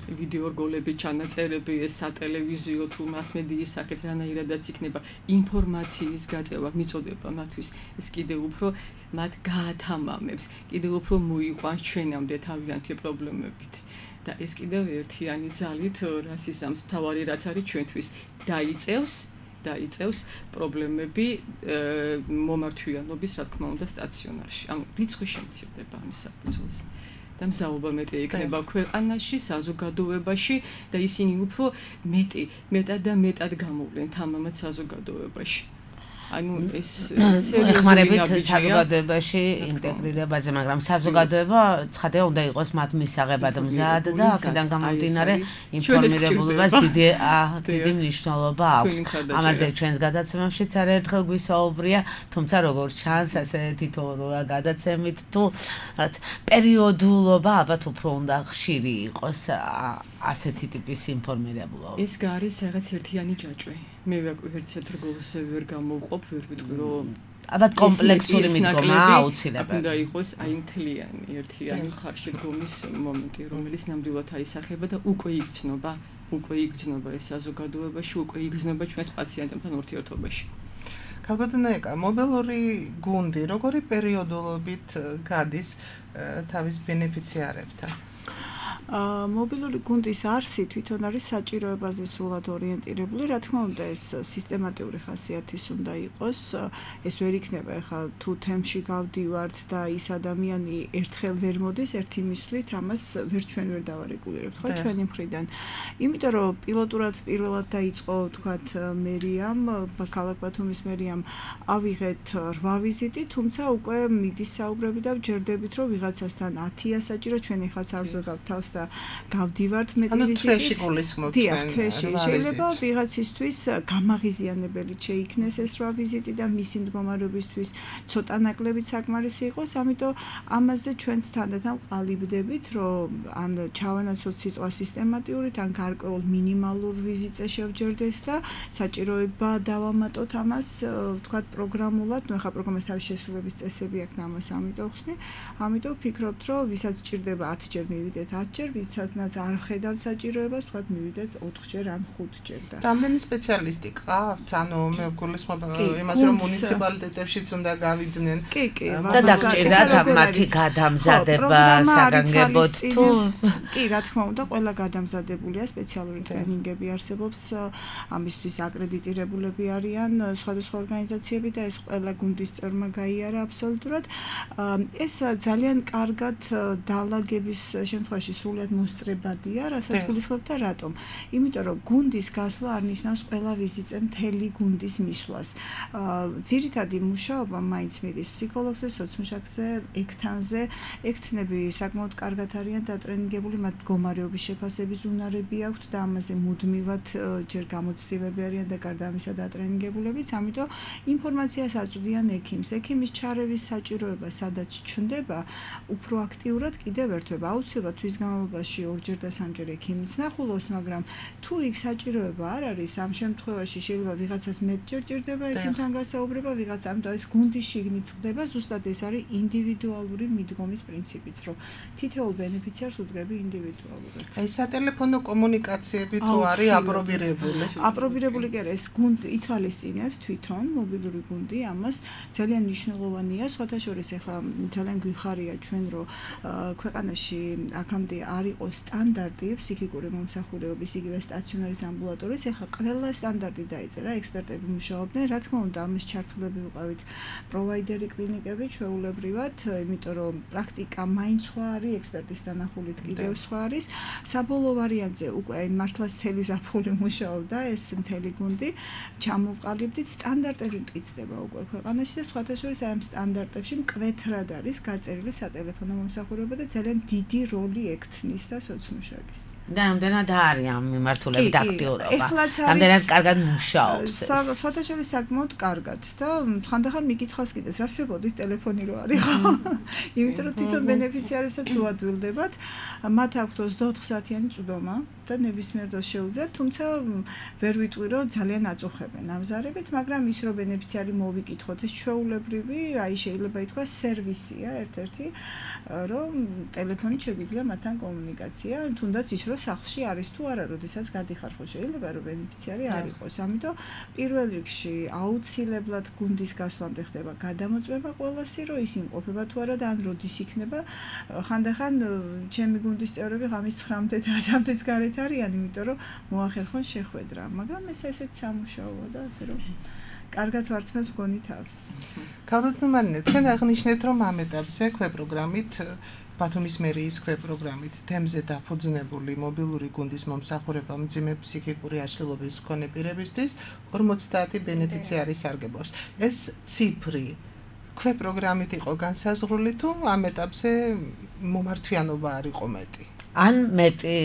F: ვიდეო რგოლები, ჩანაწერები, ეს სატელევიზიო თუ მასმედიის სახით რანაირადაც იქნება ინფორმაციის გაწევა მიწოდება მათთვის, ეს კიდევ უფრო მათ გაათამამებს, კიდევ უფრო მოიყვანს ჩვენამდე თავიანთი პრობლემებით. და ეს კიდევ ერთიანი ძალით რასიზმს მთავარი რაც არის ჩვენთვის დაიწევს დაიწევს პრობლემები მომართვიანობის, რა თქმა უნდა, სტაციონარში. ანუ რიცხვი შემცირდება ამის საფუძველზე. და მზაობა მეტი იქნება ქვეყანაში, საზოგადოებაში და ისინი უფრო მეტი, მეტად და მეტად გამოვლენ თამამად საზოგადოებაში. ანუ ეს
B: ეხმარებით საზოგადოებაში ინტეგრირებაზე, მაგრამ საზოგადოება ცხადია უნდა იყოს მათ მისაღებად მზად და აქედან გამომდინარე ინფორმირებულობას დიდი დიდი მნიშვნელობა აქვს. ამაზე ჩვენს გადაცემებშიც არაერთხელ გვისაუბრია, თუმცა როგორც ჩანს, ასე თითოეულ გადაცემით თუ რაც პერიოდულობა ალბათ უფრო უნდა ხშირი იყოს ასეთი ტიპის ინფორმირებულობა.
F: ეს გაარის რაღაც ერთიანი ჯაჭვი. მე ვერცერთ რგოლს ვერ გამოვყოფ, ვერ ვიტყვი რომ
B: ალბათ კომპლექსური მიდგომა აუცილებელი.
F: უნდა იყოს აი მთლიანი ერთიანი ხარში დგომის მომენტი, რომელიც ნამდვილად აისახება და უკვე იგრძნობა, უკვე იგრძნობა ეს საზოგადოებაში, უკვე იგრძნობა ჩვენს პაციენტებთან ურთიერთობაში.
C: ქალბატონეკა, მობილური გუნდი როგორი პერიოდულობით გადის თავის ბენეფიციარებთან?
D: მობილური გუნდის არსი თვითონ არის საჭიროებაზე სრულად ორიენტირებული, რა თქმა უნდა ეს სისტემატიური ხასიათის უნდა იყოს, ეს ვერ იქნება ახლა თუ თემში გავდივართ და ის ადამიანი ერთხელ ვერ მოდის ერთი მისვლით, ამას ვერ ჩვენ ვერ დავარეგულირებთ, ხო ჩვენი მხრიდან. იმიტომ რომ პილოტურად პირველად დაიწყო თქვათ მერიამ, ქალაქ ბათუმის მერიამ ავიღეთ რვა ვიზიტი, თუმცა უკვე მიდის საუბრები და ვჯერდებით რომ ვიღაცასთან ათია საჭირო, ჩვენ ახლა საბრძოლავთ თავს და გავდივართ მეტი ვიზიტით.
C: ანუ თვეში გულისხმობთ ჩვენ.
D: თვეში შეიძლება ვიღაცისთვის გამაღიზიანებელი შეიქნეს ეს რვა ვიზიტი და მისი მდგომარეობისთვის ცოტა ნაკლებიც საკმარისი იყოს, ამიტომ ამაზე ჩვენც თანდათან ყალიბდებით, რომ ან ჩავანაცვლოთ სიტყვა სისტემატიურად, ან გარკვეულ მინიმალურ ვიზიტზე შევჯერდეთ და საჭიროება დავამატოთ ამას, ვთქვათ პროგრამულად, ნუ ახლა პროგრამის თავის შესრულების წესები აქვს და ამას ამიტომ ხსნი, ამიტომ ვფიქრობთ, რომ ვისაც ჭირდება ათჯერ მივიდეთ ათჯერ, ვისაც არ ვხედავთ საჭიროებას, თქვათ მივიდეთ ოთხჯერ ან ხუთჯერ და.
C: რამდენი სპეციალისტი ყავთ? ანუ მე გულისხმობ იმას, რომ მუნიციპალიტეტებშიც უნდა გავიდნენ.
D: კი, კი,
B: და დაგჭირდათ მათი გადამზადება საგანგებოდ თუ
D: კი, რა თქმა უნდა, ყველა გადამზადებულია, სპეციალური ტრენინგები არსებობს, ამისთვის აკრედიტირებულები არიან სხვადასხვა ორგანიზაციები და ეს ყველა გუნდის წევრმა გაიარა აბსოლუტურად. ეს ძალიან კარგად დაალაგების შემთხვევაში სულად მოსწრებადია, რასაც გულისხმობთ და რატომ? იმიტომ რომ გუნდის გასვლა არ ნიშნავს ყველა ვიზიტზე მთელი გუნდის მისვლას. ძირითადი მუშაობა მაინც მიდის ფსიქოლოგზე, სოციმუშაკზე, ექთანზე. ექთნები საკმაოდ კარგად არიან დატრენინგებული, მათ მდგომარეობის შეფასების უნარები აქვთ და ამაზე მუდმივად ჯერ გამოცდილები არიან და გარდა ამისა დატრენინგებულებიც, ამიტომ ინფორმაციას აწვდიან ექიმს. ექიმის ჩარევის საჭიროება სადაც ჩნდება, უფრო აქტიურად კიდევ ერთვება. აუცილებლად თვის განმავლობაში განმავლობაში ორჯერ და სამჯერ ექიმიც ნახულობს, მაგრამ თუ იქ საჭიროება არ არის, ამ შემთხვევაში შეიძლება ვიღაცას მეტჯერ ჭირდება ექიმთან გასაუბრება, ვიღაც ამიტომ ეს გუნდის შიგნით წყდება, ზუსტად ეს არის ინდივიდუალური მიდგომის პრინციპიც, რომ თითოეულ ბენეფიციარს უდგები ინდივიდუალურად.
C: აი სატელეფონო კომუნიკაციები თუ არის აპრობირებული?
D: აპრობირებული კი არა, ეს გუნდი ითვალისწინებს თვითონ მობილური გუნდი, ამას ძალიან მნიშვნელოვანია, სხვათა შორის ახლა ძალიან გვიხარია ჩვენ, რომ ქვეყანაში აქამდე არ იყო სტანდარტი ფსიქიკური მომსახურებების იგივე სტაციონარის ამბულატორიის, ახლა ყველა სტანდარტი დაიწერა, ექსპერტები მუშაობდნენ, რა თქმა უნდა, ამის ჩართულები ვიყავით პროვაიდერი კლინიკები ჩვეულებრივად, იმიტომ რომ პრაქტიკა მაინც სხვა არის, ექსპერტის დანახულით კიდევ სხვა არის. საბოლოო ვარიანტზე უკვე მართლაც მთელი ზაფხული მუშაობდა ეს მთელი გუნდი, ჩამოვყალიბდით, სტანდარტები მტკიცდება უკვე ქვეყანაში და სხვათა შორის აი ამ სტანდარტებში მკვეთრად არის გაწერილი სატელეფონო მომსახურება და ძალიან დიდი როლი ექთნის და სოციმუშაკის.
B: და ამდენად არის ამ მიმართულებით აქტიურობა. ამდენად კარგად მუშაობს ეს.
D: სხვათა შორის საკმაოდ კარგად და ხანდახან მიკითხავს კიდეც, რა შევებოდით ტელეფონი რო არის ხო? იმიტომ რომ თვითონ ბენეფიციარებსაც უადვილდებათ, მათ აქვთ ოცდაოთხ საათიანი წვდომა და ნებისმიერ დროს შეუძლიათ, თუმცა ვერ ვიტყვი რომ ძალიან აწუხებენ ამზარებით, მაგრამ ის რომ ბენეფიციარი მოვიკითხოთ, ეს ჩვეულებრივი, აი შეიძლება ითქვას სერვისია ერთ-ერთი, რომ ტელეფონით შეგვიძლია მათთან კომუნიკაცია, თუნდაც ის რომ სახლში არის თუ არა, როდესაც გადიხარ ხო შეიძლება რომ ბენეფიციარი არ იყოს. ამიტომ პირველ რიგში აუცილებლად გუნდის გასვლამდე ხდება გადამოწმება ყველასი, რომ ის იმყოფება თუ არა და ან როდის იქნება. ხანდახან ჩემი გუნდის წევრები ღამის ცხრამდე და ათამდეც გარეთ არიან, იმიტომ რომ მოახერხონ შეხვედრა, მაგრამ ეს ესეც სამუშაოა და ასე რომ კარგად ვარცმევთ გონი თავს.
C: ქალბატონო, თქვენ აღნიშნეთ, რომ ამ ეტაპზე ქვეპროგრამით ბათუმის მერიის ქვეპროგრამით თემზე დაფუძნებული მობილური გუნდის მომსახურება მძიმე ფსიქიკური აშლილობის მქონე პირებისთვის ორმოცდაათი ბენეფიციარი სარგებლობს. ეს ციფრი ქვეპროგრამით იყო განსაზღვრული თუ ამ ეტაპზე მომართვიანობა არ იყო მეტი?
B: ან მეტი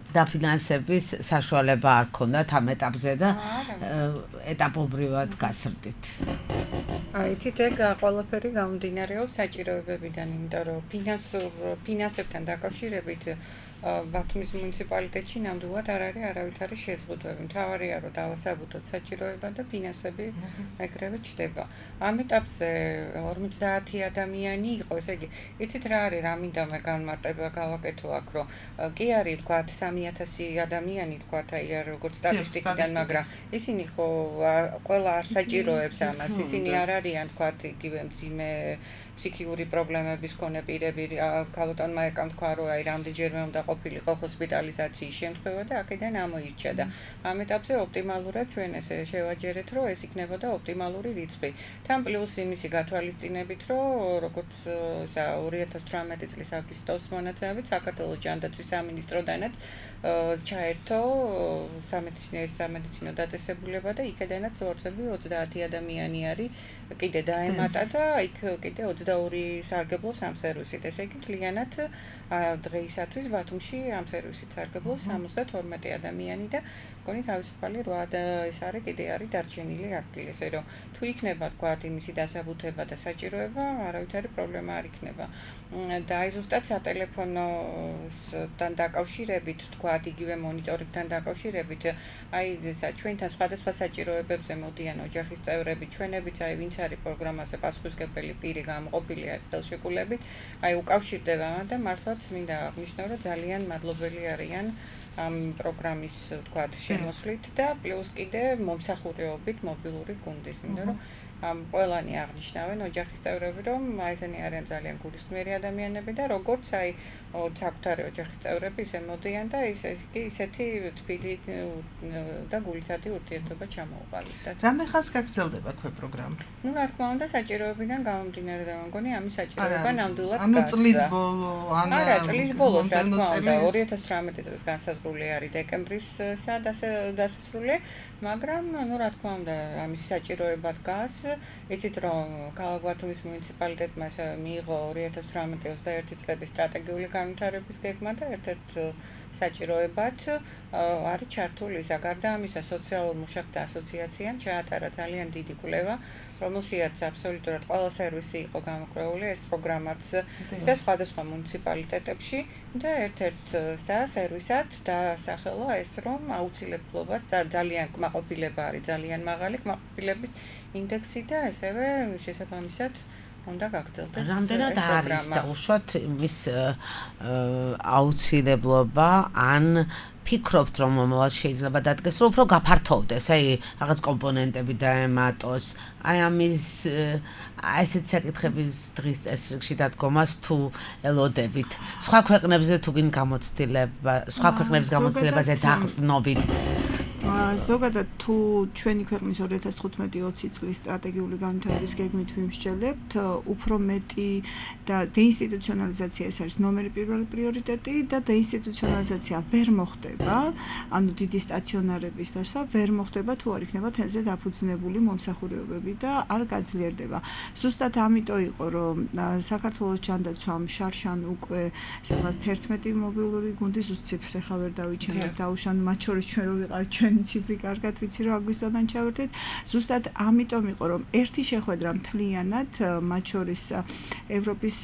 B: დაფინანსების საშუალება არ ქონდათ ამ ეტაპზე და ეტაპობრივად გასრდით.
E: აი, თით ეგ ყველაფერი გამომდინარეობს საჭიროებებიდან, იმიტომ რომ ფინანსურ ფინანსებთან დაკავშირებით ბათუმის მუნიციპალიტეტში ნამდვილად არ არის არავითარი შეზღუდვები. მთავარია რომ დავასაბუთოთ საჭიროება და ფინანსები ეგრევე ჩდება. ამ ეტაპზე ორმოცდაათი ადამიანი იყო, ესე იგი, იცით რა არის, რა მინდა მე განმარტება გავაკეთო აქ, რომ კი არის თქვა სამი ათასი ადამიანი თქვა აი როგორც სტატისტიკიდან, მაგრამ ისინი ხო ყველა არ საჭიროებს ამას, ისინი არ არიან თქვა იგივე მძიმე ფსიქიკური პრობლემების მქონე პირები, ქალბატონმა ეკამ თქვა რომ აი რამდენჯერმე უნდა ყოფილიყო ჰოსპიტალიზაციის შემთხვევა და აქედან ამოირჩა და ამ ეტაპზე ოპტიმალურად ჩვენ ესე შევაჯერეთ, რომ ეს იქნებოდა ოპტიმალური რიცხვი. თან პლუს იმისი გათვალისწინებით, რომ როგორც ორი ათას თვრამეტი წლის აგვისტოს მონაცემებით საქართველოს ჯანდაცვის სამინისტროდანაც ჩაერთო სამედიცინო დაწესებულება და იქედანაც ვარცები ოცდაათი ადამიანი არის კიდე დაემატა და იქ კიდე ოცდაორი სარგებლობს ამ სერვისით. ესე იგი, მთლიანად დღეისათვის ბათუმში ამ სერვისით სარგებლობს სამოცდათორმეტი ადამიანი და მგონი თავისუფალი რვა ეს არის კიდე არის დარჩენილი ადგილი. ესე რომ თუ იქნება თქვა იმისი დასაბუთება და საჭიროება, არავითარი პრობლემა არ იქნება. და აი ზუსტად სატელეფონოსთან დაკავშირებით, თქვა იგივე მონიტორინგთან დაკავშირებით, აი ჩვენთან სხვადასხვა საჭიროებებზე მოდიან ოჯახის წევრები, ჩვენებიც აი ვინც არის პროგრამაზე პასუხისმგებელი პირი გამოყოფილი არის ხელშეკრულებით, აი უკავშირდება და მართლაც მინდა აღნიშნო, რომ ძალიან მადლობელი არიან ამ პროგრამის თქვათ შემოსვლით და პლუს კიდე მომსახურეობით მობილური გუნდის, იმიტომ რომ ამ ყველანი აღნიშნავენ ოჯახის წევრები, რომ აი ესენი არიან ძალიან გულისხმიერი ადამიანები და როგორც აი საკუთარი ოჯახის წევრები ისე მოდიან და ისე კი ისეთი თბილი და გულითადი ურთიერთობა ჩამოუყალიბდათ.
C: რამდენ ხანს გაგრძელდება ქვეპროგრამა?
E: ნუ რა თქმა უნდა საჭიროებიდან გამომდინარე და მგონი ამის საჭიროება ნამდვილად
C: ანუ წლის ბოლო, ან
E: არა, წლის ბოლოს რა თქმა უნდა ორი ათას თვრამეტი წლის განსაზღვრული არის დეკემბრისა დასასრული, მაგრამ ნუ რა თქმა უნდა ამის საჭიროება დგას იცით რომ ქალაქ ბათუმის მუნიციპალიტეტმა მიიღო ორი ათას თვრამეტი ოცდაერთი წლების სტრატეგიული განვითარების გეგმა და ერთ-ერთ საჭიროებად არის ჩართული გარდა ამისა სოციალურ მუშაკთა ასოციაციამ ჩაატარა ძალიან დიდი კვლევა, რომელშიაც აბსოლუტურად ყველა სერვისი იყო გამოკვლეული, ეს პროგრამაც ისე სხვადასხვა მუნიციპალიტეტებში და ერთ-ერთ სერვისად დაასახელა ეს, რომ აუცილებლობას ძალიან კმაყოფილება არის ძალიან მაღალი კმაყოფილების ინდექსი და ესევე შესაბამისად უნდა გაგრძელდეს.
B: რამდენად არის და უშუალოდ მის აუცილებლობა ან ფიქრობთ რომ მომავალ შეიძლება დადგეს რომ უფრო გაფართოვდეს, აი რაღაც კომპონენტები დაემატოს, აი ამის აი ესეთ საკითხების დღის წესრიგში დადგომას თუ ელოდებით. სხვა ქვეყნებზე თუ გინ გამოცდილება, სხვა ქვეყნების გამოცდილებაზე დაყრდნობით.
D: ზოგადად თუ ჩვენი ქვეყნის ორი ათას თხუთმეტი ოცი წლის სტრატეგიული განვითარების გეგმით ვიმსჯელებთ, უფრო მეტი და დეინსტიტუციონალიზაცია ეს არის ნომერი პირველი პრიორიტეტი და დეინსტიტუციონალიზაცია ვერ მოხდება, ანუ დიდი სტაციონარების დასვა ვერ მოხდება თუ არ იქნება თემზე დაფუძნებული მომსახურებები და არ გაძლიერდება. ზუსტად ამიტომ იყო რომ საქართველოს ჯანდაცვამ შარშან უკვე რაღაც თერთმეტი მობილური გუნდი ზუსტ ციფრს ახლა ვერ დავიჩენებ დაუშან მათ შორის ჩვენ რო ვიყავით ჩვენ ციფრი კარგად ვიცი რომ აგვისტოდან ჩავერთეთ. ზუსტად ამიტომ იყო რომ ერთი შეხვედრა მთლიანად მათ შორის ევროპის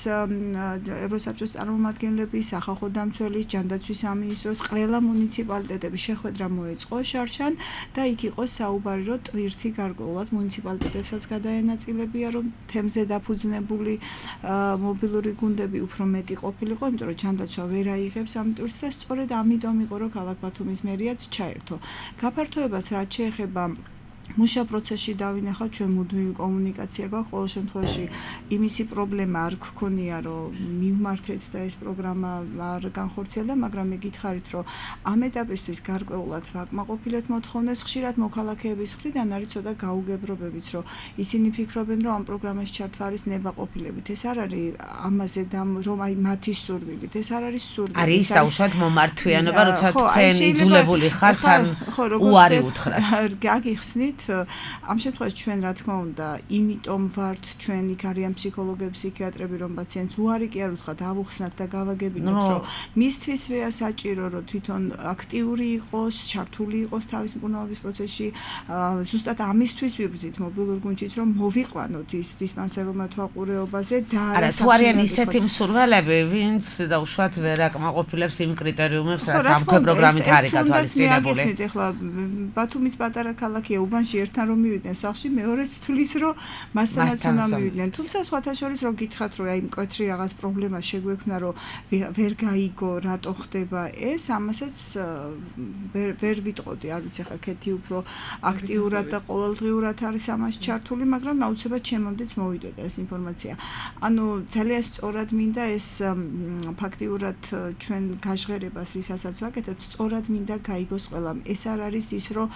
D: ევროსაბჭოს წარმომადგენლების, სახალხო დამცველის, ჯანდაცვის სამინისტროს, ყველა მუნიციპალიტეტების შეხვედრა მოეწყო შარშან და იქ იყო საუბარი რომ ტვირთი გარკვეულად მუნიციპალიტეტებსაც გადაენაწილებია რომ თემზე დაფუძნებული მობილური გუნდები უფრო მეტი ყოფილიყო, იმიტომ რომ ჯანდაცვა ვერ აიღებს ამ ტვირთს და სწორედ ამიტომ იყო რომ ქალაქ ბათუმის მერიაც ჩაერთო. გაფართოებას რაც შეეხება მუშა პროცესში დავინახავთ ჩვენ მუდმივი კომუნიკაცია გვაქვს ყოველ შემთხვევაში იმისი პრობლემა არ გქონია რომ მივმართეთ და ეს პროგრამა არ განხორციელდა, მაგრამ მე გითხარით რომ ამ ეტაპისთვის გარკვეულად ვაკმაყოფილეთ მოთხოვნებს, ხშირად მოქალაქეების მხრიდან არის ცოტა გაუგებრობებიც რომ ისინი ფიქრობენ რომ ამ პროგრამაში ჩართვა არის ნებაყოფილებით, ეს არ არის ამაზე და რომ აი მათი სურვილით, ეს არ არის სურვილი,
B: არის დაუშვათ მომართვიანობა, როცა თქვენ იძულებული ხართ ან უარი უთხრათ.
D: გაგიხსნით ამ შემთხვევაში ჩვენ რა თქმა უნდა იმიტომ ვართ ჩვენ იქ არიან ფსიქოლოგები, ფსიქიატრები რომ პაციენტს უარი კი არ უთხრათ, ავუხსნათ და გავაგებინოთ რომ მისთვისვეა საჭირო რომ თვითონ აქტიური იყოს, ჩართული იყოს თავის მკურნალობის პროცესში, ზუსტად ამისთვის ვიბრძით მობილურ გუნდშიც რომ მოვიყვანოთ ის დისპანსერულმა თვალყურეობაზე და
B: არა თუ არიან ისეთი მსურველები, ვინც დაუშვათ ვერ აკმაყოფილებს იმ კრიტერიუმებს, რაც ამ პროგრამით არის გათვალისწინებული.
D: ეხლა ბათუმის პატარა ქალაქია, უბანში ერთთან რომ მივიდნენ სახლში, მეორეც თulis რომ მასთანაც უნდა მივიდნენ. თუმცა სხვათა შორის რომ გითხრათ რომ აი მკვეთრი რაღაც პრობლემა შეგვექმნა რომ ვერ გაიგო რატო ხდება ეს, ამასაც ვერ ვერ ვიტყოდი, არ ვიცი ხა ქეთი უფრო აქტიურად და ყოველდღიურად არის ამაში ჩართული, მაგრამ აუცილებლად ჩემამდეც მოვიდოდა ეს ინფორმაცია. ანუ ძალიან სწორად მინდა ეს ფაქტიურად ჩვენ გაჟღერებას ვისაც ვაკეთებთ, სწორად მინდა გაიგოს ყველამ. ეს არ არის ის რომ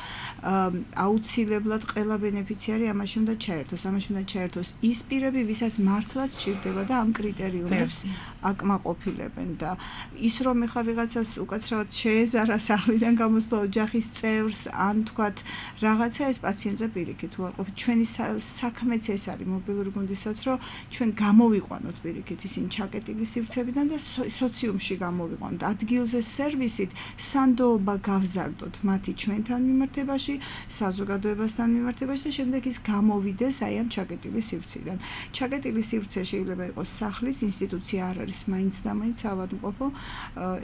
D: აუცილებლად ყველა ბენეფიციარი ამაში უნდა ჩაერთოს, ამაში უნდა ჩაერთოს ის პირები, ვისაც მართლაც სჭირდება და ამ კრიტერიუმებს აკმაყოფილებენ და ის რომ ეხლა ვიღაცას უკაცრავად შეეზარა სახლიდან გამოსვლა ოჯახის წევრს ან თქვათ რაღაცა ეს პაციენტზე პირიქით უარყოფით. ჩვენი საქმეც ეს არის მობილური გუნდისაც რომ ჩვენ გამოვიყვანოთ პირიქით ისინი ჩაკეტილი სივრცეებიდან და სოციუმში გამოვიყვანოთ. ადგილზე სერვისით სანდოობა გავზარდოთ მათი ჩვენთან მიმართებაში, საზოგადოებასთან მიმართებაში და შემდეგ ის გამოვიდეს აი ამ ჩაკეტილი სივრციდან. ჩაკეტილი სივრცე შეიძლება იყოს სახლის, ინსტიტუცია არ არის მაინც და მაინც ავადმყოფო,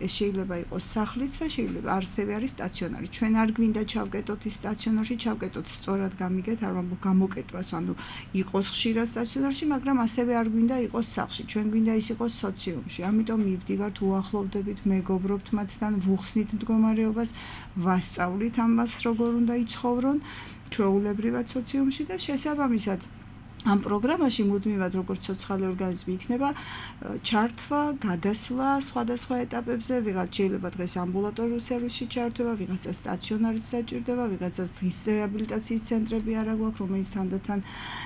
D: ეს შეიძლება იყოს სახლიც და შეიძლება არსებე არის სტაციონარი. ჩვენ არ გვინდა ჩავკეტოთ ის სტაციონარში, ჩავკეტოთ სწორად გამიგეთ, არ ვამბობ გამოკეტვას, ანუ იყოს ხშირად სტაციონარში, მაგრამ ასევე არ გვინდა იყოს სახლში. ჩვენ გვინდა ის იყოს სოციუმში. ამიტომ მივდივართ, უახლოვდებით, მეგობრობთ მათთან, ვუხსნით მდგომარეობას, ვასწავლით ამას როგორ უნდა იცხოვრონ ჩვეულებრივად სოციუმში და შესაბამისად ამ პროგრამაში მუდმივად როგორც ცოცხალი ორგანიზმი იქნება ჩართვა, გადასვლა სხვადასხვა ეტაპებზე, ვიღაც შეიძლება დღეს ამბულატორიულ სერვისში ჩართვა, ვიღაცა სტაციონარით საჭირდება, ვიღაცას დღის რეაბილიტაციის ცენტრები არა გვაქვს, რომელიც თანდათან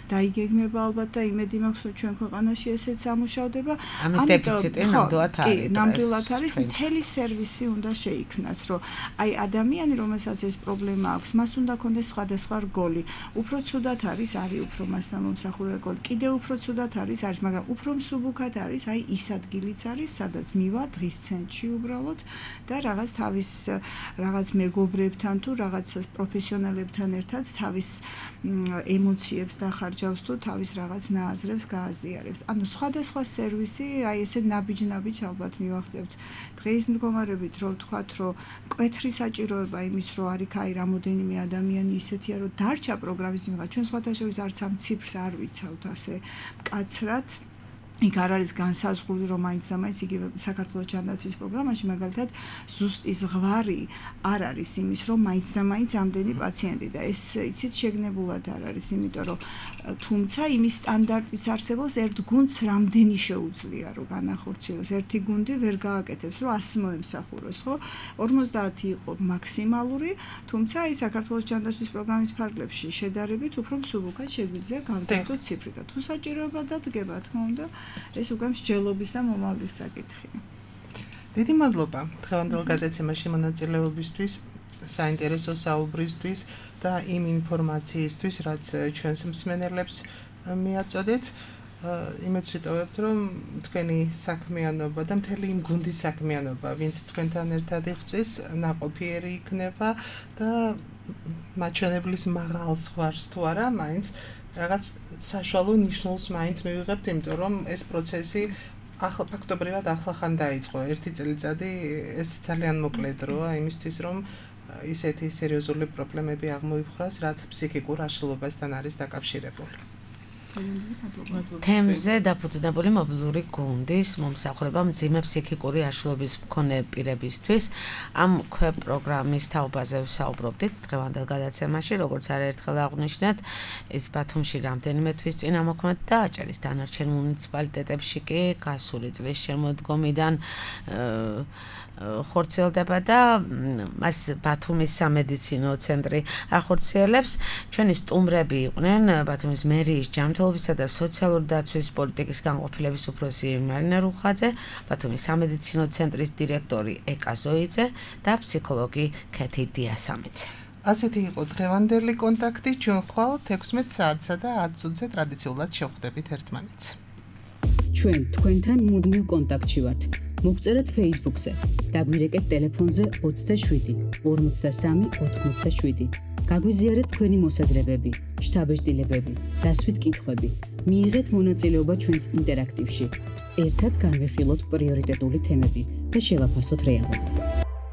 D: დაიგეგმება ალბათ და იმედი მაქვს, რომ ჩვენ ქვეყანაში ესეც ამუშავდება.
B: ამის დეფიციტი ნამდვილად არის.
D: ნამდვილად არის, მთელი სერვისი უნდა შეიქმნას, რომ აი ადამიანი, რომელსაც ეს პრობლემა აქვს, მას უნდა ქონდეს სხვადასხვა რგოლი. უფრო ცუდად არის, არის უფრო მასთან მომსახურებელ, კიდევ უფრო ცუდად არის, არის, მაგრამ უფრო მსუბუქად არის, აი ის ადგილიც არის, სადაც მივა დღის ცენტრში უბრალოდ და რაღაც თავის რაღაც მეგობრებთან თუ რაღაც პროფესიონალებთან ერთად თავის ემოციებს დახარჯავს თუ თავის რაღაც ნააზრებს გააზიარებს. ანუ სხვადასხვა სერვისი, აი ესე ნაბიჯ-ნაბიჯ ალბათ მივახცევთ. დღეის მდგომარეობით რო ვთქვათ, რომ მკვეთრი საჭიროება იმის, რომ არის აი რამოდენიმე ადამიანი ისეთია, რომ დარჩა პროგრამის მიღება. ჩვენ სხვათა შორის არც ამ ციფრს არ ვიცავთ ასე მკაცრად. იქ არ არის განსაზღვრული, რომ მაინც და მაინც იგივე საქართველოს ჯანდაცვის პროგრამაში მაგალითად ზუსტი ზღვარი არ არის იმის, რომ მაინც და მაინც ამდენი პაციენტი და ეს იცით შეგნებულად არ არის, იმიტომ რომ თუმცა იმის სტანდარტიც არსებობს, ერთ გუნდს რამდენი შეუძლია რომ განახორციელოს, ერთი გუნდი ვერ გააკეთებს, რომ ასი მოემსახუროს, ხო? ორმოცდაათი იყო მაქსიმალური, თუმცა აი საქართველოს ჯანდაცვის პროგრამის ფარგლებში შედარებით უფრო მსუბუქად შეგვიძლია გავზარდოთ ციფრი და თუ საჭიროება დადგება, თქმა უნდა, ეს უკვე მსჯელობის და მომავლის საკითხია.
C: დიდი მადლობა დღევანდელ გადაცემაში მონაწილეობისთვის, საინტერესო საუბრისთვის და იმ ინფორმაციისთვის, რაც ჩვენს მსმენელებს მიაწოდეთ. იმედს ვიტოვებთ, რომ თქვენი საქმიანობა და მთელი იმ გუნდის საქმიანობა, ვინც თქვენთან ერთად იღწვის, ნაყოფიერი იქნება და მაჩვენებლის მაღალ ზღვარს თუ არა, მაინც რაღაც საშუალო ნიშნულს მაინც მივიღებთ, იმიტომ რომ ეს პროცესი ახლა ფაქტობრივად ახლახან დაიწყო. ერთი წელიწადი ეს ძალიან მოკლე დროა იმისთვის, რომ ისეთი სერიოზული პრობლემები აღმოიფხვრას, რაც ფსიქიკურ აშლილობასთან არის დაკავშირებული.
B: თემზე დაფუძნებული მობილური გუნდის მომსახურება მძიმე ფსიქიკური აშლილობის მქონე პირებისთვის ამ პროგრამის თაობაზე ვსაუბრობდით დღევანდელ გადაცემაში, როგორც არაერთხელ აღვნიშნეთ, ეს ბათუმში რამდენიმე თვის წინ ამოქმედა და აჭარის დანარჩენ მუნიციპალიტეტებში კი გასული წლის შემოდგომიდან ხორციელდება და მას ბათუმის სამედიცინო ცენტრი ახორციელებს. ჩვენი სტუმრები იყვნენ ბათუმის მერიის ჯანმრთელობისა და სოციალური დაცვის პოლიტიკის განყოფილების უფროსი მარინა რუხაძე, ბათუმის სამედიცინო ცენტრის დირექტორი ეკა ზოიძე და ფსიქოლოგი ქეთი დიასამიძე.
C: ასეთი იყო დღევანდელი კონტაქტი. ჩვენ ხვალ ექვსმეტ საათსა და ათ წუთზე ტრადიციულად შევხვდებით ერთმანეთს.
A: ჩვენ თქვენთან მუდმივ კონტაქტში ვართ. მოგწერეთ Facebook-ზე, დაგვირეკეთ ტელეფონზე ოცდაშვიდი ორმოცდასამი ოთხმოცდაშვიდი. გაგვიზიარეთ თქვენი მოსაზრებები, შთაბეჭდილებები, დასვით კითხვები. მიიღეთ მონაწილეობა ჩვენს ინტერაქტივში. ერთად განვიხილოთ პრიორიტეტული თემები და შევაფასოთ რეალობა.